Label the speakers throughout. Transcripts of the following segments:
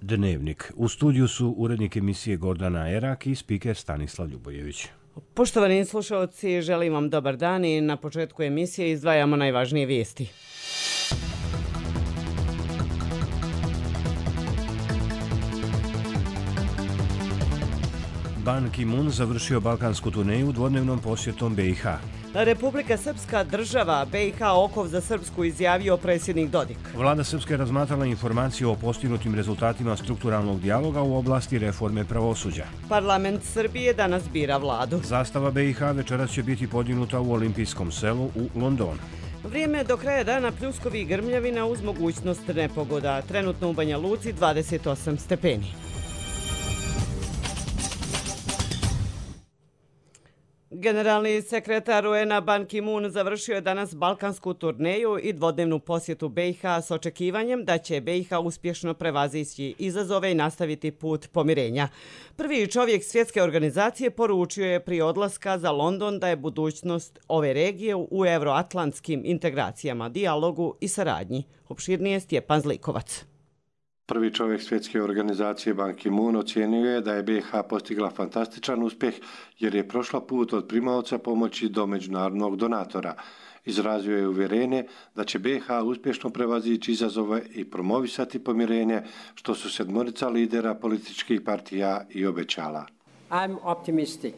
Speaker 1: Dnevnik. U studiju su urednik emisije Gordana Erak i spiker Stanislav Ljubojević.
Speaker 2: Poštovani slušalci, želim vam dobar dan i na početku emisije izdvajamo najvažnije vijesti.
Speaker 1: Ban Ki-moon završio balkansku turneju dvodnevnom posjetom BiH.
Speaker 2: Republika Srpska država, BiH okov za Srpsku, izjavio predsjednik Dodik.
Speaker 1: Vlada Srpske razmatrala informaciju o postignutim rezultatima strukturalnog dijaloga u oblasti reforme pravosuđa.
Speaker 2: Parlament Srbije danas bira vladu.
Speaker 1: Zastava BiH večeras će biti podignuta u Olimpijskom selu u Londonu.
Speaker 2: Vrijeme do kraja dana pljuskovi i grmljavina uz mogućnost nepogoda. Trenutno u Banja Luci 28 stepeni. Generalni sekretar UN-a Ban Ki-moon završio je danas balkansku turneju i dvodnevnu posjetu BiH s očekivanjem da će BiH uspješno prevazići izazove i nastaviti put pomirenja. Prvi čovjek svjetske organizacije poručio je prije odlaska za London da je budućnost ove regije u euroatlantskim integracijama, dijalogu i saradnji. Opširnije Stjepan Zlikovac.
Speaker 3: Prvi čovjek svjetske organizacije Ban Ki-moon ocijenio je da je BiH postigla fantastičan uspjeh jer je prošla put od primaoca pomoći do međunarodnog donatora. Izrazio je uvjerenje da će BiH uspješno prevazići izazove i promovisati pomirenje, što su sedmorica lidera političkih partija i obećala.
Speaker 4: I'm optimistic.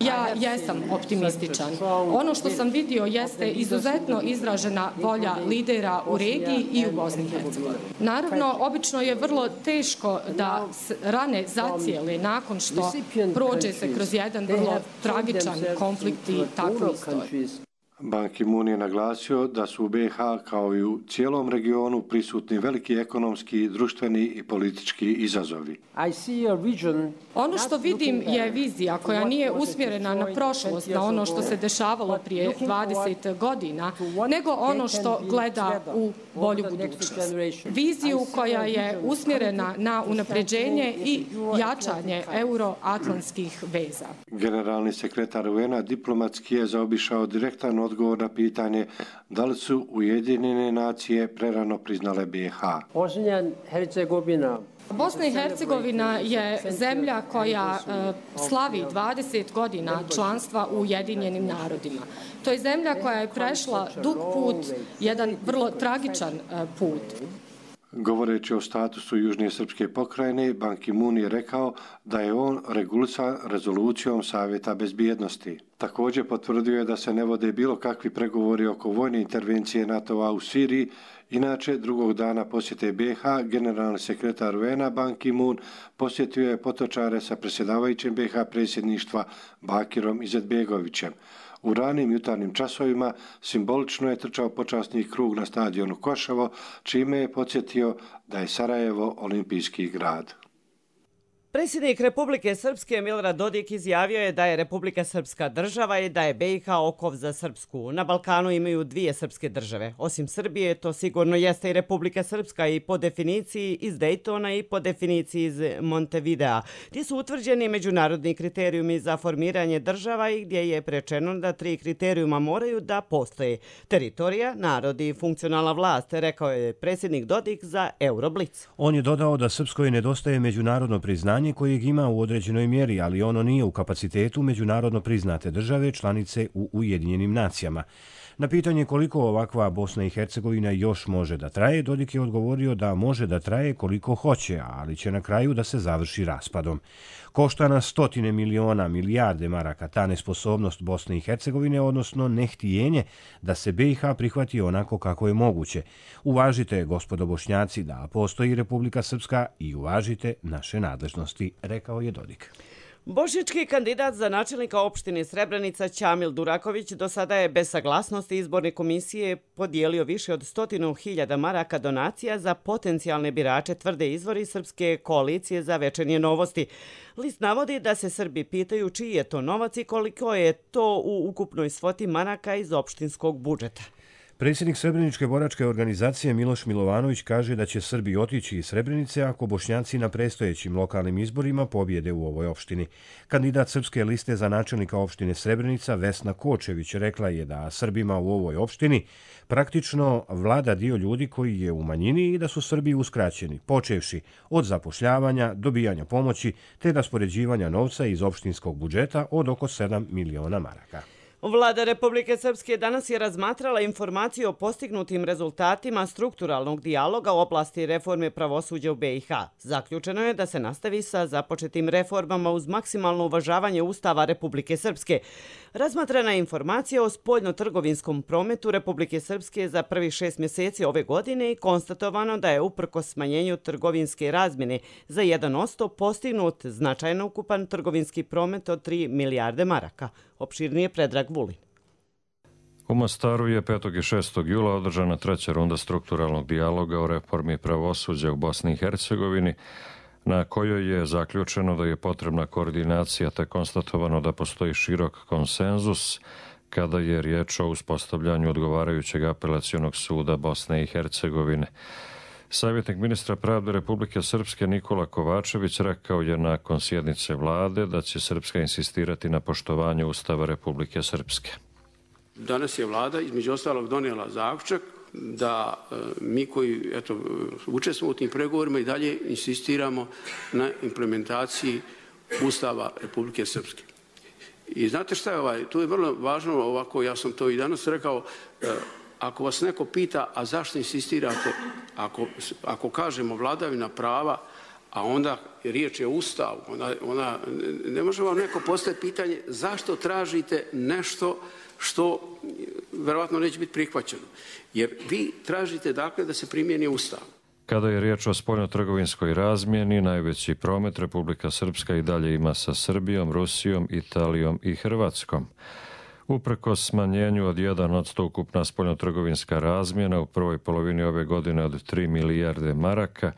Speaker 5: Ja jesam optimističan. Ono što sam vidio jeste izuzetno izražena volja lidera u regiji i u Bosni i Hercegovini. Naravno, obično je vrlo teško da rane zacijele nakon što prođe se kroz jedan vrlo tragičan konflikt i takvu istoriju.
Speaker 3: Ban Ki-moon je naglasio da su u BiH kao i u cijelom regionu prisutni veliki ekonomski, društveni i politički izazovi.
Speaker 5: Ono što vidim je vizija koja nije usmjerena na prošlost, na ono što se dešavalo prije 20 godina, nego ono što gleda u bolju budućnost. Viziju koja je usmjerena na unapređenje i jačanje euroatlantskih veza.
Speaker 3: Generalni sekretar UN-a diplomatski je zaobišao direktan odgovor na pitanje da li su Ujedinjene nacije prerano priznale BiH.
Speaker 5: Bosna i Hercegovina je zemlja koja slavi 20 godina članstva u Ujedinjenim narodima. To je zemlja koja je prešla dug put, jedan vrlo tragičan put.
Speaker 3: Govoreći o statusu Južne srpske pokrajine, Ban Ki-moon je rekao da je on regulisan rezolucijom Savjeta bezbjednosti. Također potvrdio je da se ne vode bilo kakvi pregovori oko vojne intervencije NATO-a u Siriji. Inače, drugog dana posjete BiH, generalni sekretar UN-a Ban Ki-moon posjetio je potočare sa predsjedavajućim BiH predsjedništva Bakirom Izetbegovićem. U ranim jutarnjim časovima simbolično je trčao počasni krug na stadionu Koševo, čime je podsjetio da je Sarajevo olimpijski grad.
Speaker 2: Predsjednik Republike Srpske Milorad Dodik izjavio je da je Republika Srpska država i da je BiH okov za Srpsku. Na Balkanu imaju dvije srpske države. Osim Srbije, to sigurno jeste i Republika Srpska i po definiciji iz Dejtona i po definiciji iz Montevidea, gdje su utvrđeni međunarodni kriterijumi za formiranje država i gdje je prečeno da 3 kriterijuma moraju da postoje: teritorija, narod i funkcionalna vlast, rekao je predsjednik Dodik za Euroblic.
Speaker 1: On je dodao da Srpskoj nedostaje međunarodno priznanje kojeg ima u određenoj mjeri, ali ono nije u kapacitetu međunarodno priznate države članice u Ujedinjenim nacijama. Na pitanje koliko ovakva Bosna i Hercegovina još može da traje, Dodik je odgovorio da može da traje koliko hoće, ali će na kraju da se završi raspadom. Košta nas stotine miliona, milijarde maraka ta nesposobnost Bosne i Hercegovine, odnosno nehtijenje da se BiH prihvati onako kako je moguće. Uvažite, gospodo Bošnjaci, da postoji Republika Srpska i uvažite naše nadležnosti, rekao je Dodik.
Speaker 2: Bošnjački kandidat za načelnika opštine Srebrenica Ćamil Duraković do sada je bez saglasnosti izborne komisije podijelio više od 100.000 maraka donacija za potencijalne birače, tvrde izvori Srpske koalicije za Večernje novosti. List navodi da se Srbi pitaju čiji je to novac i koliko je to u ukupnoj svoti maraka iz opštinskog budžeta.
Speaker 1: Predsjednik Srebreničke boračke organizacije Miloš Milovanović kaže da će Srbi otići iz Srebrenice ako Bošnjaci na predstojećim lokalnim izborima pobjede u ovoj opštini. Kandidat Srpske liste za načelnika opštine Srebrenica Vesna Kočević rekla je da Srbima u ovoj opštini praktično vlada dio ljudi koji je u manjini i da su Srbi uskraćeni, počevši od zapošljavanja, dobijanja pomoći te raspoređivanja novca iz opštinskog budžeta od oko 7 miliona maraka.
Speaker 2: Vlada Republike Srpske danas je razmatrala informaciju o postignutim rezultatima strukturalnog dijaloga u oblasti reforme pravosuđa u BiH. Zaključeno je da se nastavi sa započetim reformama uz maksimalno uvažavanje Ustava Republike Srpske. Razmatrana je informacija o spoljno-trgovinskom prometu Republike Srpske za prvih 6 mjeseci ove godine i konstatovano da je uprkos smanjenju trgovinske razmjene za 1% postignut značajno ukupan trgovinski promet od 3 milijarde maraka. Opširnije Predrag Vulin.
Speaker 6: U Mostaru je 5. i 6. jula održana treća runda strukturalnog dijaloga o reformi pravosuđa u Bosni i Hercegovini, na kojoj je zaključeno da je potrebna koordinacija te konstatovano da postoji širok konsenzus kada je riječ o uspostavljanju odgovarajućeg apelacionog suda Bosne i Hercegovine. Savjetnik ministra pravde Republike Srpske Nikola Kovačević rekao je nakon sjednice vlade da će Srpska insistirati na poštovanju Ustava Republike Srpske.
Speaker 7: Danas je vlada između ostalog donijela zaključak da mi koji učestvujemo u tim pregovorima i dalje insistiramo na implementaciji Ustava Republike Srpske. I znate šta je tu je vrlo važno ovako, ja sam to i danas rekao, ako vas neko pita, a zašto insistirate, ako kažemo vladavina prava, a onda riječ je o Ustavu, onda ne može vam neko postaviti pitanje zašto tražite nešto što verovatno neće biti prihvaćeno. Jer vi tražite dakle da se primijeni Ustav.
Speaker 6: Kada je riječ o spoljno-trgovinskoj razmjeni, najveći promet Republika Srpska i dalje ima sa Srbijom, Rusijom, Italijom i Hrvatskom. Uprkos smanjenju od 1% ukupna spoljno-trgovinska razmjena u prvoj polovini ove godine od 3 milijarde maraka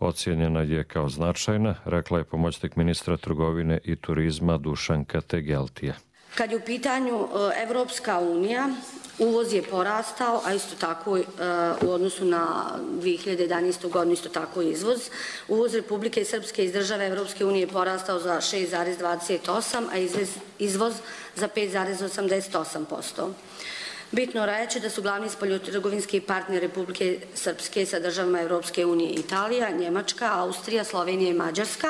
Speaker 6: ocijenjena je kao značajna, rekla je pomoćnik ministra trgovine i turizma Dušanka Tegeltija.
Speaker 8: Kad je u pitanju Evropska unija, uvoz je porastao, a isto tako u odnosu na 2011. godinu isto tako izvoz. Uvoz Republike Srpske iz države Evropske unije je porastao za 6,28, a izvoz za 5,88%. Bitno reći da su glavni spoljnotrgovinski partneri Republike Srpske sa državama Evropske unije Italija, Njemačka, Austrija, Slovenija i Mađarska,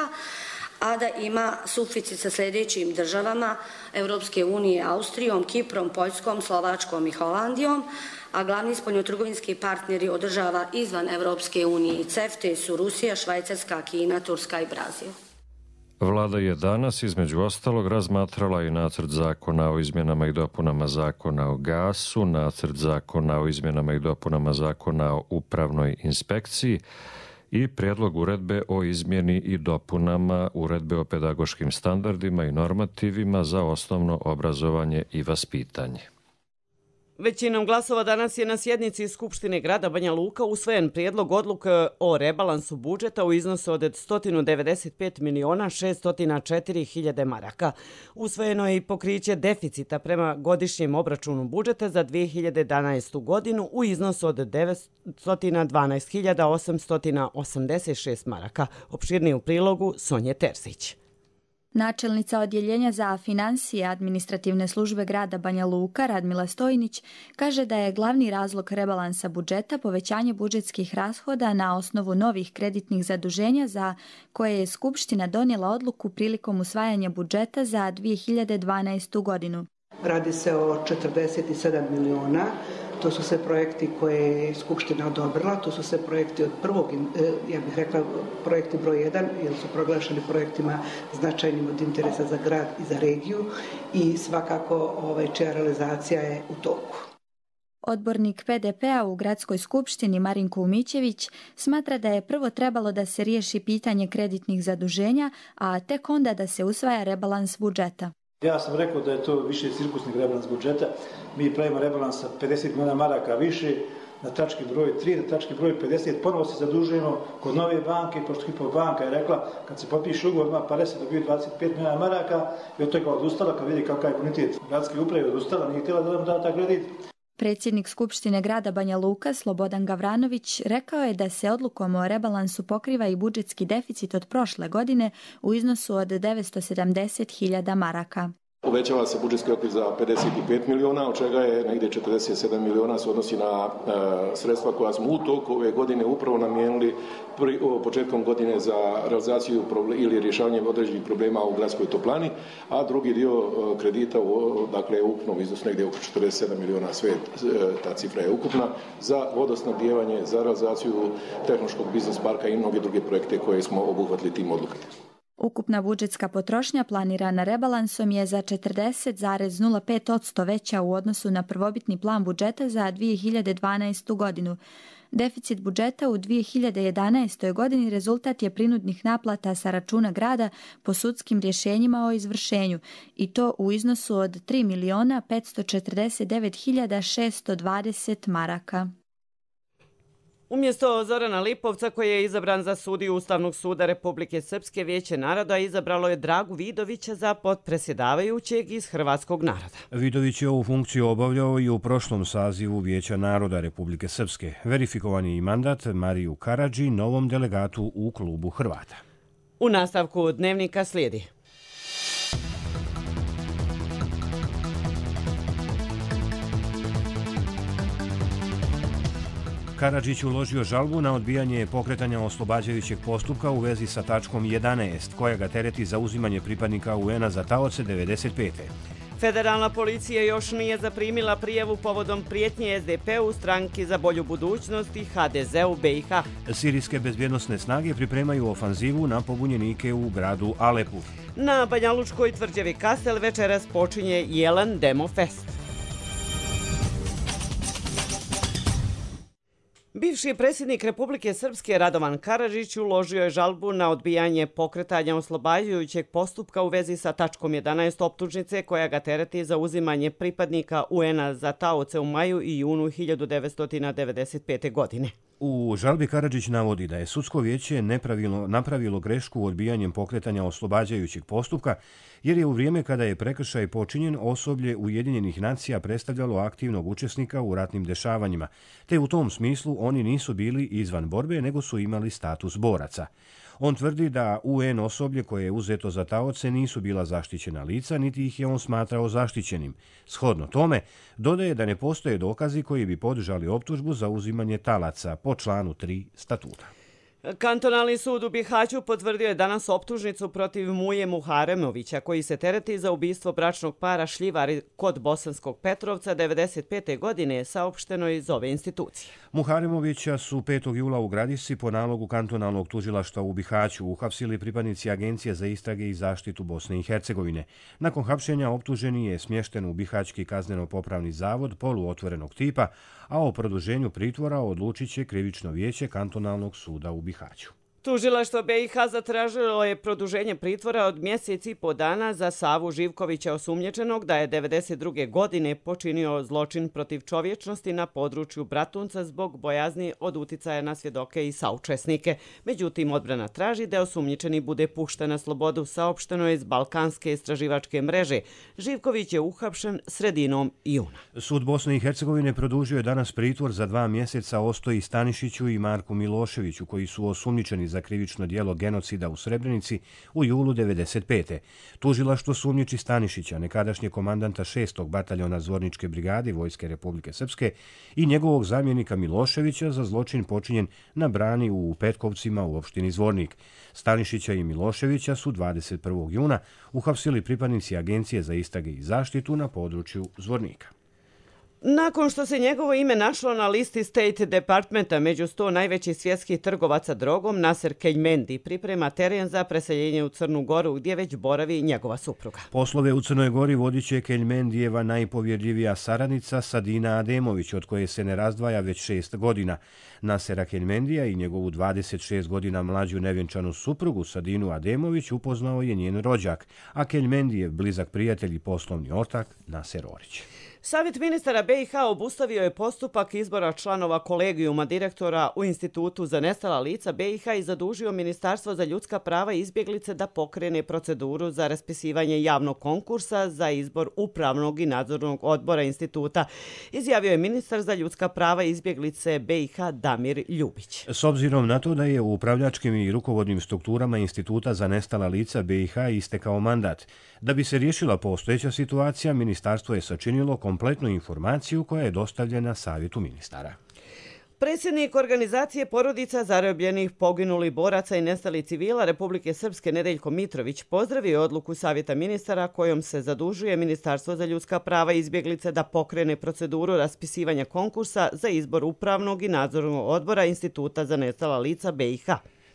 Speaker 8: a da ima suficit sa sljedećim državama Evropske unije, Austrijom, Kiprom, Poljskom, Slovačkom i Holandijom, a glavni spoljnotrgovinski partneri od država izvan Evropske unije i CEFTA su Rusija, Švajcarska, Kina, Turska i Brazil.
Speaker 6: Vlada je danas između ostalog razmatrala i nacrt zakona o izmjenama i dopunama zakona o gasu, nacrt zakona o izmjenama i dopunama zakona o upravnoj inspekciji i prijedlog uredbe o izmjeni i dopunama uredbe o pedagoškim standardima i normativima za osnovno obrazovanje i vaspitanje.
Speaker 2: Većinom glasova danas je na sjednici Skupštine grada Banja Luka usvojen prijedlog odluke o rebalansu budžeta u iznosu od 195.604.000 maraka. Usvojeno je i pokriće deficita prema godišnjem obračunu budžeta za 2011. godinu u iznosu od 912.886 maraka. Opširnije u prilogu Sonje Terzić.
Speaker 9: Načelnica Odjeljenja za financije administrativne službe grada Banja Luka, Radmila Stojnić, kaže da je glavni razlog rebalansa budžeta povećanje budžetskih rashoda na osnovu novih kreditnih zaduženja za koje je Skupština donijela odluku prilikom usvajanja budžeta za 2012. godinu.
Speaker 10: Radi se o 47 miliona. To su sve projekti koje je Skupština odobrila, to su sve projekti od prvog, ja bih rekla, projekti broj 1, jer su proglašeni projektima značajnim od interesa za grad i za regiju i svakako čija realizacija je u toku.
Speaker 9: Odbornik PDP-a u gradskoj skupštini Marinko Umićević smatra da je prvo trebalo da se riješi pitanje kreditnih zaduženja, a tek onda da se usvaja rebalans budžeta.
Speaker 11: Ja sam rekao da je to više cirkusni rebalans budžeta. Mi pravimo rebalans sa 50 milijuna maraka više na tački broj 3, na tački broj 50. Ponovo se zadužujemo kod nove banke, pošto Hypo banka je rekla kad se potpiše ugovor ima pare se dobiju 25 milijuna maraka i od toga odustala kad vidi kakav je bonitet gradske uprave odustala, nije htjela da nam da ta kredit.
Speaker 9: Predsjednik Skupštine grada Banja Luka, Slobodan Gavranović, rekao je da se odlukom o rebalansu pokriva i budžetski deficit od prošle godine u iznosu od 970.000 maraka.
Speaker 12: Uvećava se budžetski okvir za 55 miliona, od čega je negdje 47 miliona se odnosi na sredstva koja smo u toku ove godine upravo namijenili početkom godine za realizaciju ili rješavanje određenih problema u gradskoj toplani, a drugi dio kredita, dakle ukupnom iznosu negdje oko 47 miliona, sve ta cifra je ukupna, za vodosnabdijevanje, za realizaciju tehnološkog biznis parka i mnoge druge projekte koje smo obuhvatili tim odlukama.
Speaker 9: Ukupna budžetska potrošnja planirana rebalansom je za 40,05% veća u odnosu na prvobitni plan budžeta za 2012. godinu. Deficit budžeta u 2011. godini rezultat je prinudnih naplata sa računa grada po sudskim rješenjima o izvršenju i to u iznosu od 3.549.620 maraka.
Speaker 2: Umjesto Zorana Lipovca, koji je izabran za sudiju Ustavnog suda Republike Srpske, Vijeće naroda izabralo je Dragu Vidovića za potpredsjedavajućeg iz Hrvatskog naroda.
Speaker 1: Vidović je ovu funkciju obavljao i u prošlom sazivu Vijeća naroda Republike Srpske. Verifikovan je i mandat Mariju Karadži, novom delegatu u klubu Hrvata.
Speaker 2: U nastavku dnevnika slijedi.
Speaker 1: Karadžić uložio žalbu na odbijanje pokretanja oslobađajućeg postupka u vezi sa tačkom 11, koja ga tereti za uzimanje pripadnika UN-a za taoce 95.
Speaker 2: Federalna policija još nije zaprimila prijavu povodom prijetnje SDP-u, Stranki za bolju budućnost i HDZ-u BiH.
Speaker 1: Sirijske bezbjednosne snage pripremaju ofanzivu na pobunjenike u gradu Alepu.
Speaker 2: Na banjalučkoj tvrđavi Kastel večeras počinje Jelen Demo Fest. Bivši predsjednik Republike Srpske Radovan Karadžić uložio je žalbu na odbijanje pokretanja oslobađajućeg postupka u vezi sa tačkom 11 optužnice koja ga tereti za uzimanje pripadnika UN-a za taoce u maju i junu 1995. godine.
Speaker 1: U žalbi Karadžić navodi da je sudsko vijeće napravilo grešku odbijanjem pokretanja oslobađajućeg postupka, jer je u vrijeme kada je prekršaj počinjen osoblje Ujedinjenih nacija predstavljalo aktivnog učesnika u ratnim dešavanjima, te u tom smislu oni nisu bili izvan borbe, nego su imali status boraca. On tvrdi da UN osoblje koje je uzeto za taoce nisu bila zaštićena lica, niti ih je on smatrao zaštićenim. Shodno tome, dodaje da ne postoje dokazi koji bi podržali optužbu za uzimanje talaca po članu 3 statuta.
Speaker 2: Kantonalni sud u Bihaću potvrdio je danas optužnicu protiv Muje Muharemovića, koji se tereti za ubistvo bračnog para Šljivari kod Bosanskog Petrovca 1995. godine, saopšteno iz ove institucije.
Speaker 1: Muharemovića su 5. jula u Gradišci po nalogu kantonalnog tužilaštva u Bihaću uhapsili pripadnici Agencije za istrage i zaštitu Bosne i Hercegovine. Nakon hapšenja optuženi je smješten u Bihaćki kazneno-popravni zavod poluotvorenog tipa, a o produženju pritvora odlučit će krivično vijeće kantonalnog suda u Bihaću.
Speaker 2: Tužilaštvo BiH zatražilo je produženje pritvora od mjesec i po dana za Savu Živkovića, osumnjičenog da je 1992. godine počinio zločin protiv čovječnosti na području Bratunca zbog bojazni od uticaja na svjedoke i saučesnike. Međutim, odbrana traži da osumnjičeni bude pušten na slobodu, saopšteno je iz Balkanske istraživačke mreže. Živković je uhapšen sredinom juna.
Speaker 1: Sud Bosne i Hercegovine produžio je danas pritvor za 2 mjeseca Ostoji Stanišiću i Marku Miloševiću, koji su osumnjičeni za krivično djelo genocida u Srebrenici u julu 1995. Tužilaštvo sumnjiči Stanišića, nekadašnje komandanta 6. bataljona Zvorničke brigade Vojske Republike Srpske, i njegovog zamjenika Miloševića za zločin počinjen na brani u Petkovcima u opštini Zvornik. Stanišića i Miloševića su 21. juna uhapsili pripadnici Agencije za istrage i zaštitu na području Zvornika.
Speaker 2: Nakon što se njegovo ime našlo na listi State Departmenta među 100 najvećih svjetskih trgovaca drogom, Naser Keljmendi priprema teren za preseljenje u Crnu Goru, gdje već boravi njegova supruga.
Speaker 1: Poslove u Crnoj Gori vodit će Keljmendijeva najpovjerljivija saradnica Sadina Ademović, od koje se ne razdvaja već 6 godina. Nasera Keljmendija i njegovu 26 godina mlađu nevjenčanu suprugu Sadinu Ademović upoznao je njen rođak, a Keljmendijev blizak prijatelj i poslovni ortak Naser Orić.
Speaker 2: Savjet ministara BiH obustavio je postupak izbora članova kolegijuma direktora u Institutu za nestala lica BiH i zadužio Ministarstvo za ljudska prava i izbjeglice da pokrene proceduru za raspisivanje javnog konkursa za izbor upravnog i nadzornog odbora instituta, izjavio je ministar za ljudska prava i izbjeglice BiH Damir Ljubić.
Speaker 1: S obzirom na to da je u upravljačkim i rukovodnim strukturama Instituta za nestala lica BiH istekao mandat, da bi se riješila postojeća situacija, ministarstvo je sačinilo kompletnu informaciju koja je dostavljena Savjetu ministara.
Speaker 2: Predsjednik organizacije porodica zarobljenih, poginulih boraca i nestalih civila Republike Srpske Nedeljko Mitrović pozdravio odluku Savjeta ministara kojom se zadužuje Ministarstvo za ljudska prava i izbjeglice da pokrene proceduru raspisivanja konkursa za izbor upravnog i nadzornog odbora Instituta za nestala lica BiH.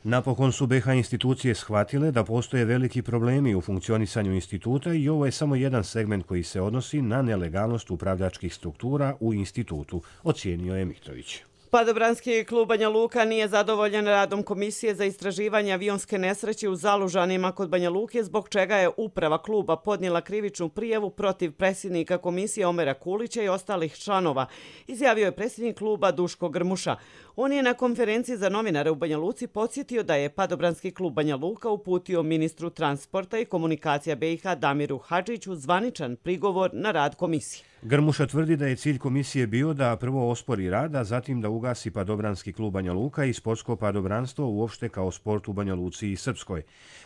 Speaker 1: Napokon su BiH institucije shvatile da postoje veliki problemi u funkcionisanju instituta i ovo je samo jedan segment koji se odnosi na nelegalnost upravljačkih struktura u institutu, ocijenio je Mitrović.
Speaker 2: Padobranski klub Banja Luka nije zadovoljan radom Komisije za istraživanje avionske nesreće u Zalužanima kod Banja Luke, zbog čega je uprava kluba podnijela krivičnu prijavu protiv predsjednika komisije Omera Kulića i ostalih članova, izjavio je predsjednik kluba Duško Grmuša. On je na konferenciji za novinare u Banja Luci podsjetio da je Padobranski klub Banja Luka uputio ministru transporta i komunikacija BiH Damiru Hadžiću zvaničan prigovor na rad komisije.
Speaker 1: Grmuša tvrdi da je cilj komisije bio da prvo ospori rad, a zatim da ugasi Padobranski klub Banja Luka i sportsko padobranstvo uopšte kao sport u Banja Luci i Srpskoj.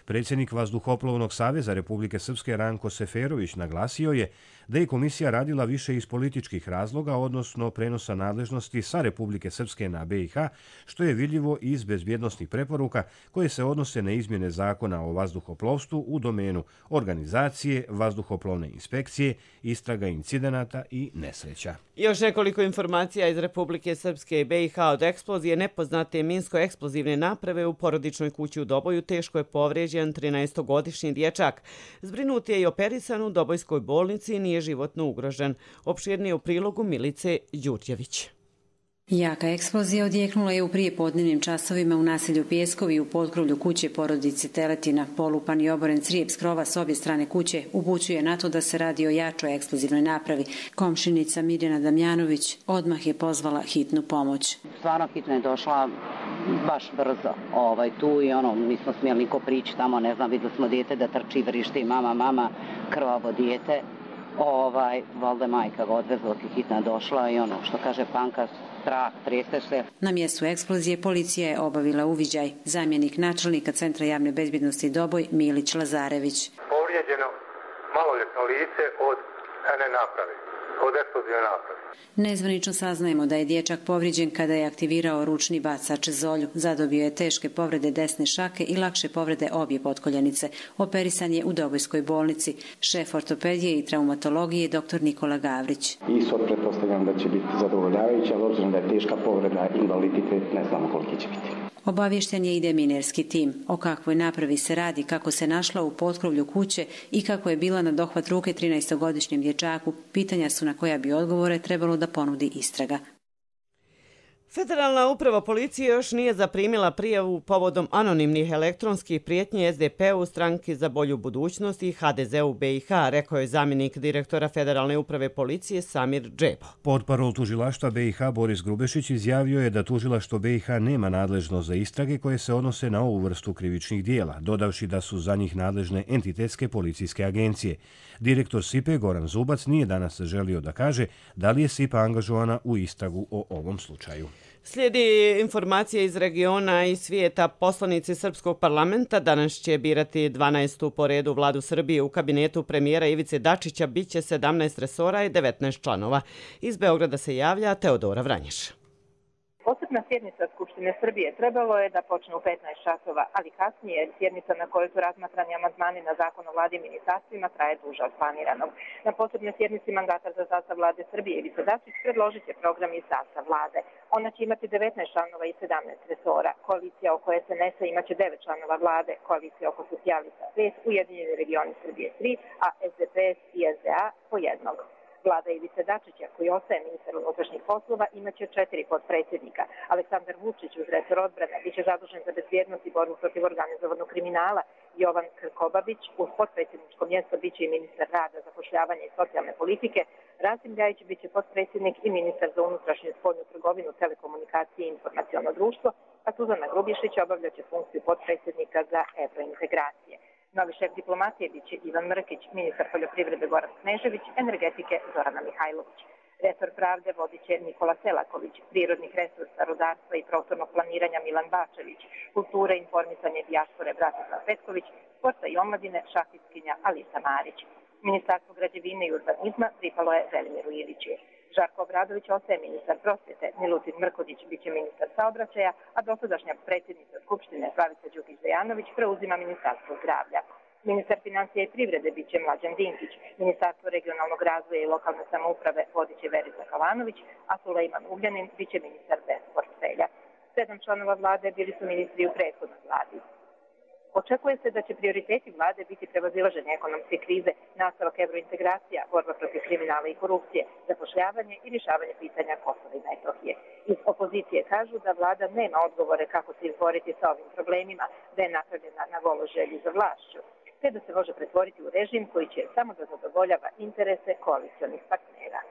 Speaker 1: Predsjednik Vazduhoplovnog saveza Republike Srpske Ranko Seferović naglasio je da je komisija radila više iz političkih razloga, odnosno prenosa nadležnosti sa Republike Srpske na BiH, što je vidljivo iz bezbjednosnih preporuka koje se odnose na izmjene zakona o vazduhoplovstvu u domenu organizacije, vazduhoplovne inspekcije, istraga incidenata i nesreća.
Speaker 2: Još nekoliko informacija iz Republike Srpske i BiH od eksplozije nepoznate minsko-eksplozivne naprave u porodičnoj kući u Doboju teško je povrijeđen 13-godišnji dječak. Zbrinut je i operisan u Dobojskoj bolnici i nije životno ugrožen. Opširnije u prilogu Milice Đurđević.
Speaker 13: Jaka eksplozija odjeknula je u prijepodnevnim časovima u naselju Pjeskovi u potkrovlju kuće porodice Teletina. Polupan i oboren crijep s krova s obje strane kuće upućuje na to da se radi o jačoj eksplozivnoj napravi. Komšinica Mirjana Damjanović odmah je pozvala hitnu pomoć.
Speaker 14: Stvarno hitno je došla baš brzo tu i nismo smjeli niko prići tamo, ne znam, vidjeli smo dijete da trči, vrišti, mama, krvavo dijete. Valjda majka ga odvezla, hitna došla i što kaže Panka, strah, trese se.
Speaker 13: Na mjestu eksplozije policija je obavila uviđaj. Zamjenik načelnika Centra javne bezbjednosti Doboj Milić Lazarević.
Speaker 15: Povrijeđeno maloljetno lice od naprave, od eksplozivne naprave.
Speaker 13: Nezvanično saznajemo da je dječak povrijeđen kada je aktivirao ručni bacač Zolju. Zadobio je teške povrede desne šake i lakše povrede obje potkoljenice. Operisan je u Dobojskoj bolnici. Šef ortopedije i traumatologije dr. Nikola Gavrić.
Speaker 16: Ishod pretpostavljam da će biti zadovoljavajući, ali obzirom da je teška povreda, invaliditet, ne znamo koliki će biti.
Speaker 13: Obavješten je i deminerski tim. O kakvoj napravi se radi, kako se našla u potkrovlju kuće i kako je bila na dohvat ruke 13-godišnjem dječaku, pitanja su na koja bi odgovore trebalo da ponudi istraga.
Speaker 2: Federalna uprava policije još nije zaprimila prijavu povodom anonimnih elektronskih prijetnji SDP-u, Stranki za bolju budućnost i HDZ-u BiH, rekao je zamjenik direktora Federalne uprave policije Samir Džebo.
Speaker 1: Portparol tužilaštva BiH Boris Grubešić izjavio je da tužilaštvo BiH nema nadležnost za istrage koje se odnose na ovu vrstu krivičnih dijela, dodavši da su za njih nadležne entitetske policijske agencije. Direktor SIPA Goran Zubac nije danas želio da kaže da li je SIPA angažovana u istragu o ovom slučaju.
Speaker 2: Slijedi informacije iz regiona i svijeta. Poslanici Srpskog parlamenta danas će birati 12. po redu vladu Srbije. U kabinetu premijera Ivice Dačića biće 17 resora i 19 članova. Iz Beograda se javlja Teodora Vranješ.
Speaker 17: Posebna sjednica Skupštine Srbije trebalo je da počne u 15 časova, ali kasnije sjednica na kojoj su razmatrani amandmani na zakon o vladi i ministarstvima traje duže od planiranog. Na posebnoj sjednici mandatar za sastav vlade Srbije Ivica Dačić predložit će program i sastav vlade. Ona će imati 19 članova i 17 resora. Koalicija oko SNS-a imaće 9 članova vlade, koalicija oko socijalista 5, Ujedinjeni regioni Srbije 3, a SDPS i SDA po jednog. Vlada Ivice Dačića, koji ostaje ministar unutrašnjih poslova, imaće 4 potpredsjednika. Aleksandar Vučić uz resor odbrane biće zadužen za bezbjednost i borbu protiv organizovanog kriminala. Jovan Krkobabić uz potpredsjedničko mjesto biće i ministar rada, zapošljavanja i socijalne politike. Rasim Ljajić biće potpredsjednik i ministar za unutrašnju i spoljnu trgovinu, telekomunikacije i informaciono društvo, a Suzana Grubješić obavljaće funkciju potpredsjednika za evrointegracije. Novi šef diplomatije biće Ivan Mrkić, ministar poljoprivrede Goran Knežević, energetike Zorana Mihajlović. Resor pravde vodit će Nikola Selaković, prirodnih resursa, rudarstva i prostornog planiranja Milan Bačević, kulture, informisanje i dijaspore Bratislav Petković, sporta i omladine šahistkinja Alisa Marić. Ministarstvo građevine i urbanizma pripalo je Velimiru Iliću. Žarko Obradović ostaje ministar prosvjete, Milutin Mrkodić biće ministar saobraćaja, a dosadašnja predsjednica Skupštine Slavica Đukić-Dejanović preuzima ministarstvo zdravlja. Ministar financija i privrede biće Mlađan Dinkić, ministarstvo regionalnog razvoja i lokalne samouprave vodit će Verica Kalanović, a Sulejman Ugljanin biće ministar bez portfelja. 7 članova vlade bili su ministri u prethodnoj vladi. Očekuje se da će prioriteti vlade biti prevazilaženje ekonomske krize, nastavak evrointegracija, borba protiv kriminala i korupcije, zapošljavanje i rješavanje pitanja Kosova i Metohije. Iz opozicije kažu da vlada nema odgovore kako se izboriti sa ovim problemima, da je napravljena na golo želji za vlašću, te da se može pretvoriti u režim koji će samo da zadovoljava interese koalicionih partnera.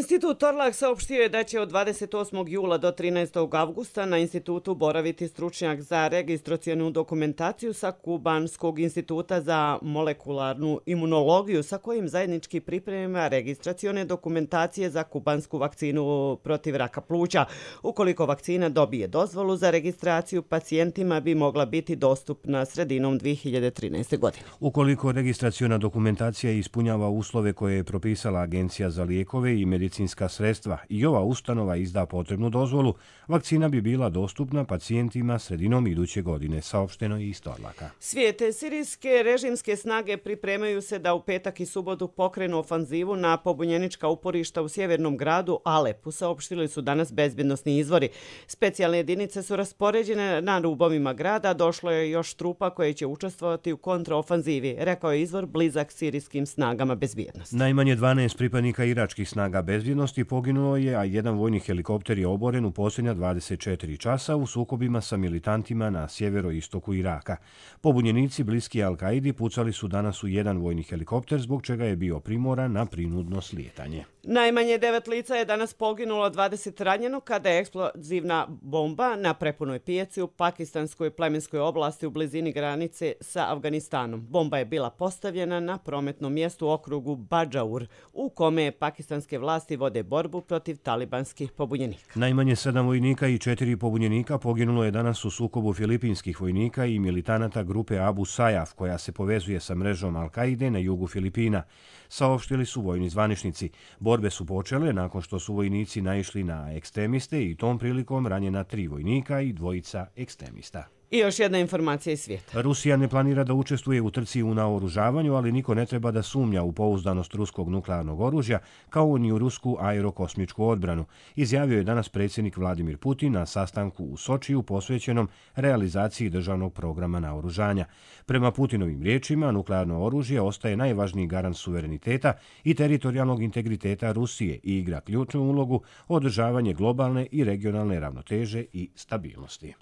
Speaker 2: Institut Torlak saopštio je da će od 28. jula do 13. avgusta na institutu boraviti stručnjak za registracionu dokumentaciju sa Kubanskog instituta za molekularnu imunologiju, sa kojim zajednički priprema registracione dokumentacije za kubansku vakcinu protiv raka pluća. Ukoliko vakcina dobije dozvolu za registraciju, pacijentima bi mogla biti dostupna sredinom 2013. godine.
Speaker 1: Ukoliko registraciona dokumentacija ispunjava uslove koje je propisala Agencija za lijekove i medicinska sredstva i ova ustanova izda potrebnu dozvolu, vakcina bi bila dostupna pacijentima sredinom iduće godine, saopšteno je iz Torlaka.
Speaker 2: Svijete sirijske režimske snage pripremaju se da u petak i subotu pokrenu ofanzivu na pobunjenička uporišta u sjevernom gradu Alepu, saopštili su danas bezbjednosni izvori. Specijalne jedinice su raspoređene na rubovima grada, došlo je još trupa koje će učestvovati u kontraofanzivi, rekao je izvor blizak sirijskim snagama bezbjednosti.
Speaker 1: Najmanje 12 pripadnika iračkih snaga bezbjednosti poginulo je, a jedan vojni helikopter je oboren u posljednja 24 časa u sukobima sa militantima na sjeveroistoku Iraka. Pobunjenici bliski Al-Kaidi pucali su danas u jedan vojni helikopter, zbog čega je bio primoran na prinudno slijetanje.
Speaker 2: Najmanje 9 lica je danas poginulo, 20 ranjeno kada je eksplozivna bomba na prepunoj pijaci u pakistanskoj plemenskoj oblasti u blizini granice sa Afganistanom. Bomba je bila postavljena na prometnom mjestu u okrugu Badžaur, u kome pakistanske vlasti vode borbu protiv talibanskih pobunjenika.
Speaker 1: Najmanje 7 vojnika i 4 pobunjenika poginulo je danas u sukobu filipinskih vojnika i militanata grupe Abu Sajaf, koja se povezuje sa mrežom Al-Kaide na jugu Filipina. Saopštili su vojni zvaničnici. Borbe su počele nakon što su vojnici naišli na ekstremiste i tom prilikom ranjena 3 vojnika i 2 ekstremista.
Speaker 2: I još jedna informacija iz svijeta.
Speaker 1: Rusija ne planira da učestvuje u trci u naoružavanju, ali niko ne treba da sumnja u pouzdanost ruskog nuklearnog oružja, kao ni u rusku aerokosmičku odbranu, izjavio je danas predsjednik Vladimir Putin na sastanku u Sočiju posvećenom realizaciji državnog programa naoružanja. Prema Putinovim riječima, nuklearno oružje ostaje najvažniji garant suvereniteta i teritorijalnog integriteta Rusije i igra ključnu ulogu u održavanje globalne i regionalne ravnoteže i stabilnosti.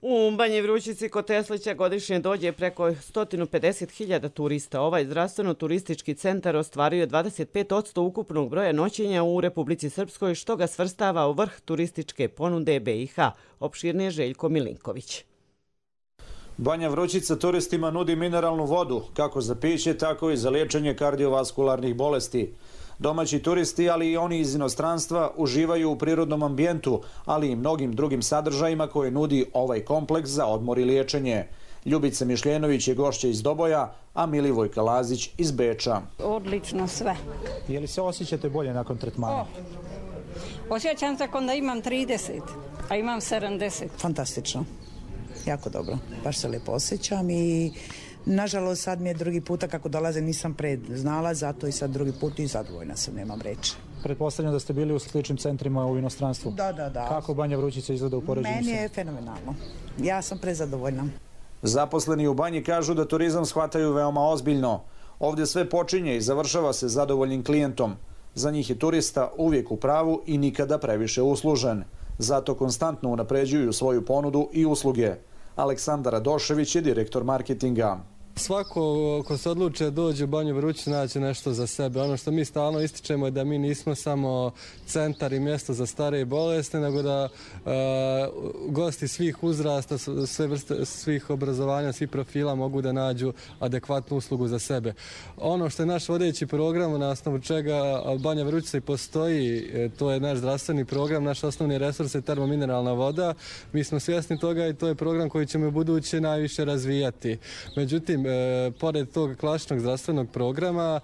Speaker 2: U Banji Vrućici kod Teslića godišnje dođe preko 150.000 turista. Ovaj zdravstveno-turistički centar ostvaruje 25% ukupnog broja noćenja u Republici Srpskoj, što ga svrstava u vrh turističke ponude BiH, opširnije Željko Milinković.
Speaker 18: Banja Vrućica turistima nudi mineralnu vodu, kako za piće, tako i za liječenje kardiovaskularnih bolesti. Domaći turisti, ali i oni iz inostranstva, uživaju u prirodnom ambijentu, ali i mnogim drugim sadržajima koje nudi ovaj kompleks za odmor i liječenje. Ljubica Mišljenović je gošća iz Doboja, a Milivojka Lazić iz Beča.
Speaker 19: Odlično sve.
Speaker 18: Je li se osjećate bolje nakon tretmana?
Speaker 19: Osjećam se kao da imam 30, a imam 70.
Speaker 20: Fantastično. Jako dobro. Baš se lijepo osjećam i nažalost sad mi je drugi puta kako dolazim nisam znala, zato i sad drugi put i zadovoljna sam, nemam reći.
Speaker 18: Pretpostavljam da ste bili u sličnim centrima u inostranstvu.
Speaker 20: Da.
Speaker 18: Kako Banja Vrućica izgleda u poređenju?
Speaker 20: Meni je fenomenalno. Ja sam prezadovoljna.
Speaker 18: Zaposleni u Banji kažu da turizam shvataju veoma ozbiljno. Ovdje sve počinje i završava se zadovoljnim klijentom. Za njih je turista uvijek u pravu i nikada previše uslužen. Zato konstantno unapređuju svoju ponudu i usluge. Aleksandar Radošević je direktor marketinga.
Speaker 21: Svako ko se odluče da dođe u Banju Vrućicu naći nešto za sebe. Ono što mi stalno ističemo je da mi nismo samo centar i mjesto za stare i bolesne, nego da gosti svih uzrasta, sve vrste, svih obrazovanja, svih profila mogu da nađu adekvatnu uslugu za sebe. Ono što je naš vodeći program, na osnovu čega Banja Vrućica i postoji, to je naš zdravstveni program, naš osnovni resurs je termomineralna voda. Mi smo svjesni toga i to je program koji ćemo u buduće najviše razvijati. Međutim, pored tog klasičnog zdravstvenog programa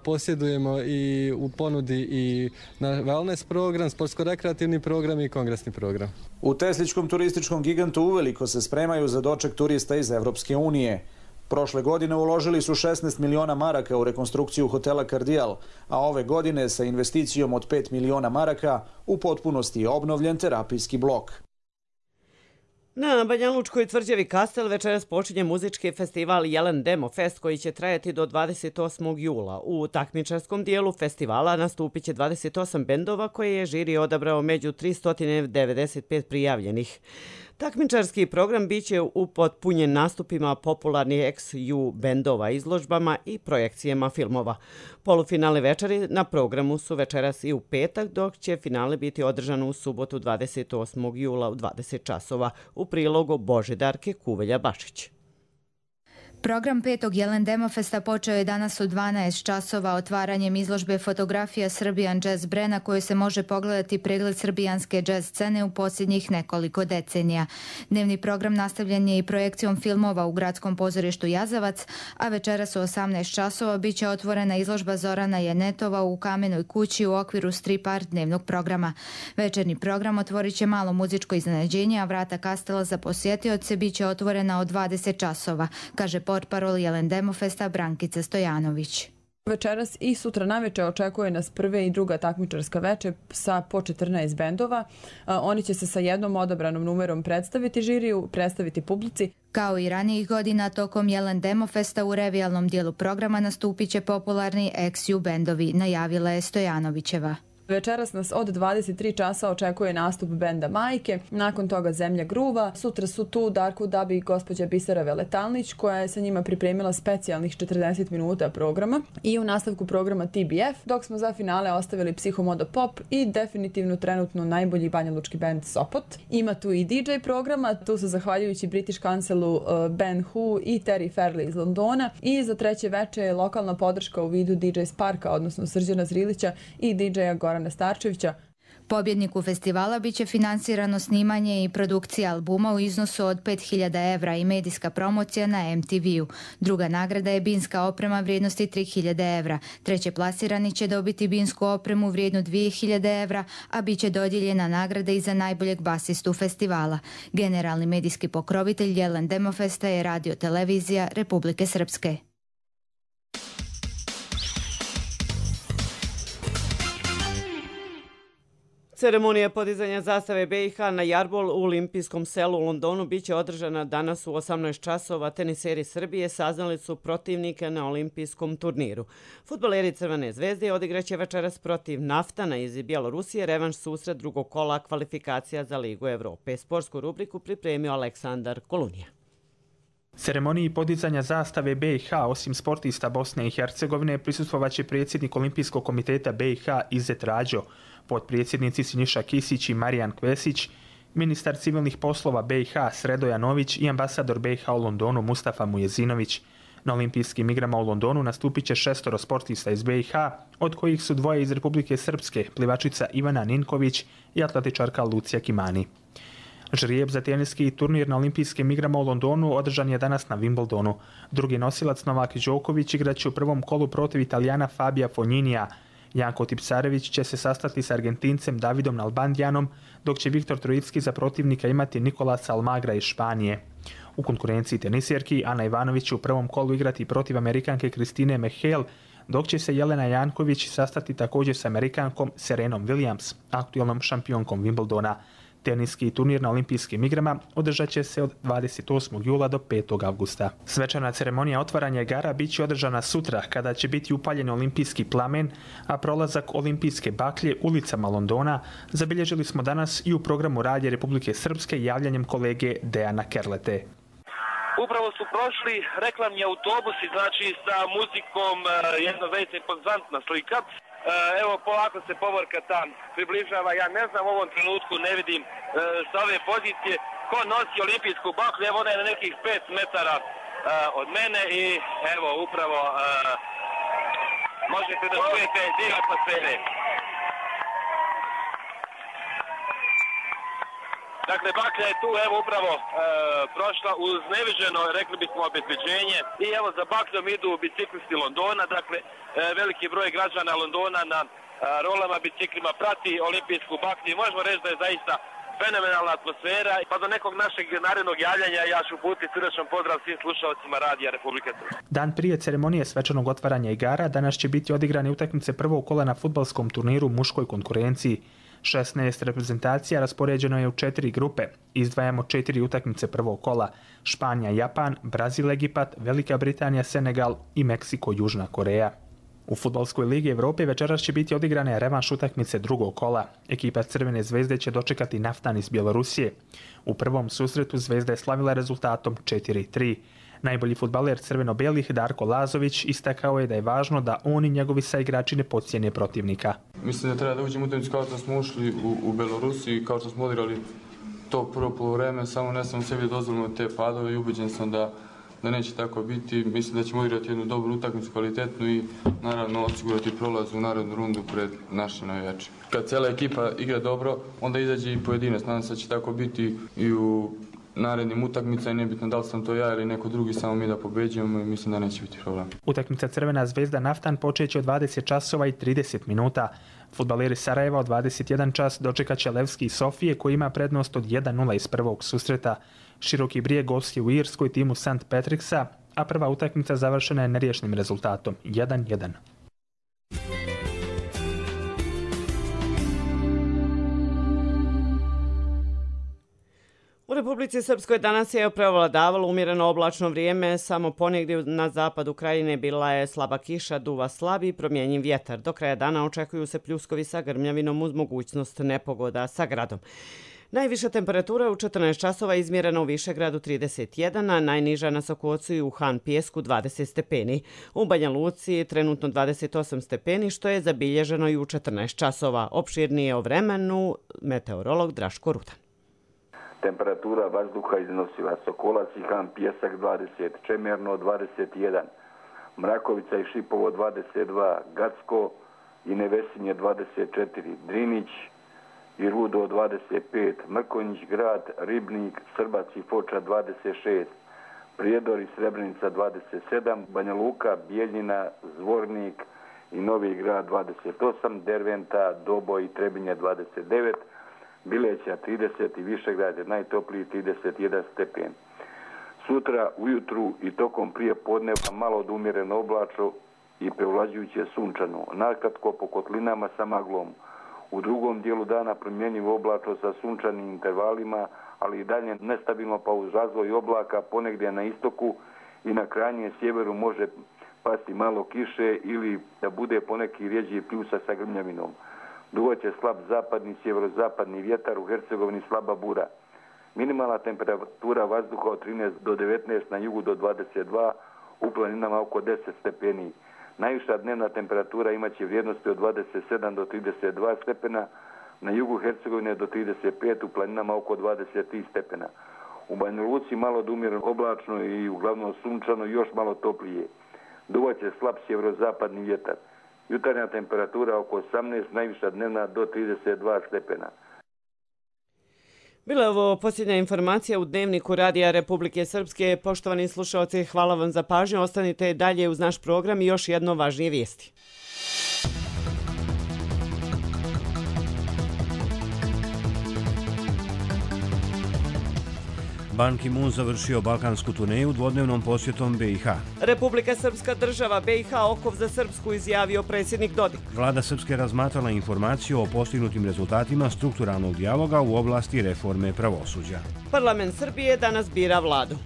Speaker 21: posjedujemo i u ponudi i wellness program, sportsko-rekreativni program i kongresni program.
Speaker 18: U Tesličkom turističkom gigantu uveliko se spremaju za doček turista iz Evropske unije. Prošle godine uložili su 16 miliona maraka u rekonstrukciju hotela Kardijal, a ove godine sa investicijom od 5 miliona maraka u potpunosti je obnovljen terapijski blok.
Speaker 2: Na Banjalučkoj tvrđavi Kastel večeras počinje muzički festival Jelen Demo Fest koji će trajati do 28. jula. U takmičarskom dijelu festivala nastupit će 28 bendova koje je žiri odabrao među 395 prijavljenih. Takmičarski program biće upotpunjen nastupima popularnih ex-U bendova, izložbama i projekcijama filmova. Polufinalne večeri na programu su večeras i u petak, dok će finale biti održano u subotu 28. jula u 20 časova. U prilogu Božidarke Kuvelja-Bašić.
Speaker 9: Program 5. Jelen Demo Festa počeo je danas u 12 časova otvaranjem izložbe fotografija Serbian Jazz Bre na kojoj se može pogledati pregled srbijanske jazz scene u posljednjih nekoliko decenija. Dnevni program nastavljen je i projekcijom filmova u Gradskom pozorištu Jazavac, a večeras u 18 časova bit će otvorena izložba Zorana Janetova u Kamenoj kući u okviru strip art dnevnog programa. Večernji program otvorit će malo muzičko iznenađenje, a vrata Kastela za posjetioce bit će otvorena od 20 časova, kaže portparol Jelen Demo Festa Brankica Stojanović.
Speaker 22: Večeras i sutra naveče očekuje nas prve i druga takmičarska veče sa po 14 bendova. Oni će se sa jednom odabranom numerom predstaviti žiriju, predstaviti publici.
Speaker 9: Kao i ranijih godina, tokom Jelen Demo Festa u revijalnom dijelu programa nastupit će popularni ex-U bendovi, najavila je Stojanovićeva.
Speaker 22: Večeras nas od 23 časa očekuje nastup benda Majke, nakon toga Zemlja gruva. Sutra su tu Darko Dabi i gospođa Bisera Veletalnić koja je sa njima pripremila specijalnih 40 minuta programa i u nastavku programa TBF, dok smo za finale ostavili Psihomodo Pop i definitivno trenutno najbolji banjalučki band Sopot. Ima tu i DJ programa, tu su zahvaljujući British Councilu Ben Hu i Terry Fairley iz Londona i za treće veče je lokalna podrška u vidu DJ Sparka, odnosno Srđana Zrilića i DJ-a Gorana Starčevića.
Speaker 9: Pobjedniku festivala biće finansirano snimanje i produkcija albuma u iznosu od 5.000 evra i medijska promocija na MTV-u. Druga nagrada je binska oprema vrijednosti 3.000 evra. Treće plasirani će dobiti binsku opremu vrijednu 2.000 evra, a bit će dodijeljena nagrada i za najboljeg basistu festivala. Generalni medijski pokrovitelj Jelen Demo Festa je Radio televizija Republike Srpske.
Speaker 2: Ceremonija podizanja zastave BiH na Jarbol u Olimpijskom selu u Londonu biće održana danas u 18 časova. Teniseri Srbije saznali su protivnika na olimpijskom turniru. Fudbaleri Crvene zvezde odigraće večeras protiv Naftana iz Bjelorusije revanš susret drugog kola kvalifikacija za Ligu Evrope. Sportsku rubriku pripremio Aleksandar Kolunija.
Speaker 23: Ceremoniji podizanja zastave BiH osim sportista Bosne i Hercegovine prisustvovaće predsjednik Olimpijskog komiteta BiH Izet Rađo, potpredsjednici Siniša Kisić i Marijan Kvesić, ministar civilnih poslova BiH Sredo Janović i ambasador BiH u Londonu Mustafa Mujezinović. Na olimpijskim igrama u Londonu nastupit će 6 sportista iz BiH, od kojih su 2 iz Republike Srpske, plivačica Ivana Ninković i atletičarka Lucija Kimani. Žrijeb za teniski turnir na olimpijskim igrama u Londonu održan je danas na Wimbledonu. Drugi nosilac Novak Đoković igraće u prvom kolu protiv Italijana Fabija Fogninija. Janko Tipsarević će se sastati s Argentincem Davidom Nalbandijanom, dok će Viktor Trojicki za protivnika imati Nikolasa Almagra iz Španije. U konkurenciji tenisjerki Ana Ivanović će u prvom kolu igrati protiv Amerikanke Kristine Mehel, dok će se Jelena Janković sastati također s Amerikankom Serenom Williams, aktualnom šampionkom Wimbledona. Teniski turnir na olimpijskim igrama održat će se od 28. jula do 5. avgusta. Svečana ceremonija otvaranja igara bit će održana sutra, kada će biti upaljen olimpijski plamen, a prolazak olimpijske baklje ulicama Londona zabilježili smo danas i u programu Radija Republike Srpske javljanjem kolege Dejana Kerlete.
Speaker 3: Upravo su prošli reklamni autobusi, znači sa muzikom, jedna zaista impozantna slika. Evo, polako se povorka tam približava. Ja ne znam, u ovom trenutku ne vidim sa ove pozicije ko nosi olimpijsku baklju. Evo, ona je na nekih 5 metara od mene i evo, upravo možete da čujete dio atmosfere. Dakle, baklja je tu, evo, upravo prošla uz neviđeno, rekli bismo, obezbeđenje. I evo, za bakljom idu biciklisti Londona, dakle, veliki broj građana Londona na rolama, biciklima prati olimpijsku baklju. Možemo reći da je zaista fenomenalna atmosfera. Pa do nekog našeg narednog javljanja ja ću uputiti srdečan pozdrav svim slušalcima Radija Republike Srpske.
Speaker 23: Dan prije ceremonije svečanog otvaranja igara danas će biti odigrane utakmice prvog kola na fudbalskom turniru u muškoj konkurenciji. 16 reprezentacija raspoređeno je u 4 grupe. Izdvajamo 4 utakmice prvog kola: Španija, Japan, Brazil, Egipat, Velika Britanija, Senegal i Meksiko, Južna Koreja. U Fudbalskoj ligi Evrope večeras će biti odigrane revanš utakmice drugog kola. Ekipa Crvene zvezde će dočekati Naftan iz Bjelorusije. U prvom susretu Zvezda je slavila rezultatom 4-3. Najbolji fudbaler crveno-belih Darko Lazović istakao je da je važno da on i njegovi saigrači ne podcijene protivnika.
Speaker 4: Mislim da treba da uđemo u utakmicu kao što smo ušli u Belorusiji, kao što smo odigrali to prvo poluvreme, samo ne sam sebi dozvolimo te padove i ubeđen sam da neće tako biti. Mislim da ćemo odigrati jednu dobru utakmicu, kvalitetnu i naravno osigurati prolaz u narednu rundu pred našim navijačima. Kad cijela ekipa igra dobro, onda izađe i pojedinac. Nadam se da će tako biti i u narednim utakmica i nebitno da li sam to ja ili neko drugi, samo mi da pobeđujemo i mislim da neće biti problem.
Speaker 23: Utakmica Crvena zvezda Naftan počeće od 20 časova i 30 minuta. Fudbaleri Sarajeva od 21 čas dočekat će Levski iz Sofije koji ima prednost od 1-0 iz prvog susreta. Široki Brijeg gosti u Irskoj timu St. Patricksa, a prva utakmica završena je neriješnim rezultatom 1-1.
Speaker 2: U Republici Srpskoj danas je prevladavalo umjereno oblačno vrijeme, samo ponegdje na zapadu krajine bila je slaba kiša, duva slab i promjenjiv vjetar. Do kraja dana očekuju se pljuskovi sa grmljavinom uz mogućnost nepogoda sa gradom. Najviša temperatura u 14 časova izmjerena u Višegradu 31, a najniža na Sokocu i u Han Pijesku 20 stepeni. U Banja Luci trenutno 28 stepeni, što je zabilježeno i u 14 časova. Opširnije o vremenu meteorolog Draško Rudan.
Speaker 5: Temperatura vazduha iznosila Sokolac i Han Pijesak 20, Čemerno 21, Mrakovica i Šipovo 22, Gacko i Nevesinje 24, Drinić i Rudo 25, Mrkonjić grad, Ribnik, Srbac i Foča 26, Prijedor i Srebrenica 27, Banja Luka, Bijeljina, Zvornik i Novi grad 28, Derventa, Doboj i Trebinje 29, Bileća 30 i Višegrad je najtopliji 31 stepen. Sutra ujutru i tokom prije podneva malo od umjereno oblačno i prevlađujuće sunčano, nakratko po kotlinama sa maglom. U drugom dijelu dana promjenjivo oblačno sa sunčanim intervalima, ali i dalje nestabilno pa uz razvoj oblaka ponegdje na istoku i na krajnjem sjeveru može pasti malo kiše ili da bude poneki rjeđi pljusa sa grmljavinom. Duvaće slab zapadni, sjeverozapadni vjetar, u Hercegovini slaba bura. Minimalna temperatura vazduha od 13 do 19, na jugu do 22, u planinama oko 10 stepeni. Najviša dnevna temperatura imaće vrijednosti od 27 do 32 stepena, na jugu Hercegovine do 35, u planinama oko 23 stepena. U Banja Luci malo umjereno oblačno i uglavnom sunčano, još malo toplije. Duvaće slab sjeverozapadni vjetar. Jutarnja temperatura oko 18, najviša dnevna do 32 stepena.
Speaker 2: Bila je ovo posljednja informacija u Dnevniku Radija Republike Srpske. Poštovani slušalci, hvala vam za pažnju. Ostanite dalje uz naš program i još jedno važnije vijesti.
Speaker 1: Ban Ki-moon završio balkansku turneju dvodnevnom posjetom BiH.
Speaker 2: Republika Srpska država, BiH okov za Srpsku, izjavio predsjednik Dodik.
Speaker 1: Vlada Srpske razmatrala informaciju o postignutim rezultatima strukturalnog dijaloga u oblasti reforme pravosuđa.
Speaker 2: Parlament Srbije danas bira vladu.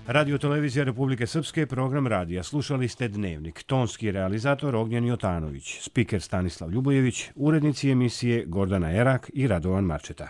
Speaker 1: Radio Televizija Republike Srpske, program radija. Slušali ste Dnevnik. Tonski realizator Ognjen Jotanović, spiker Stanislav Ljubojević, urednici emisije Gordana Erak i Radovan Marčeta.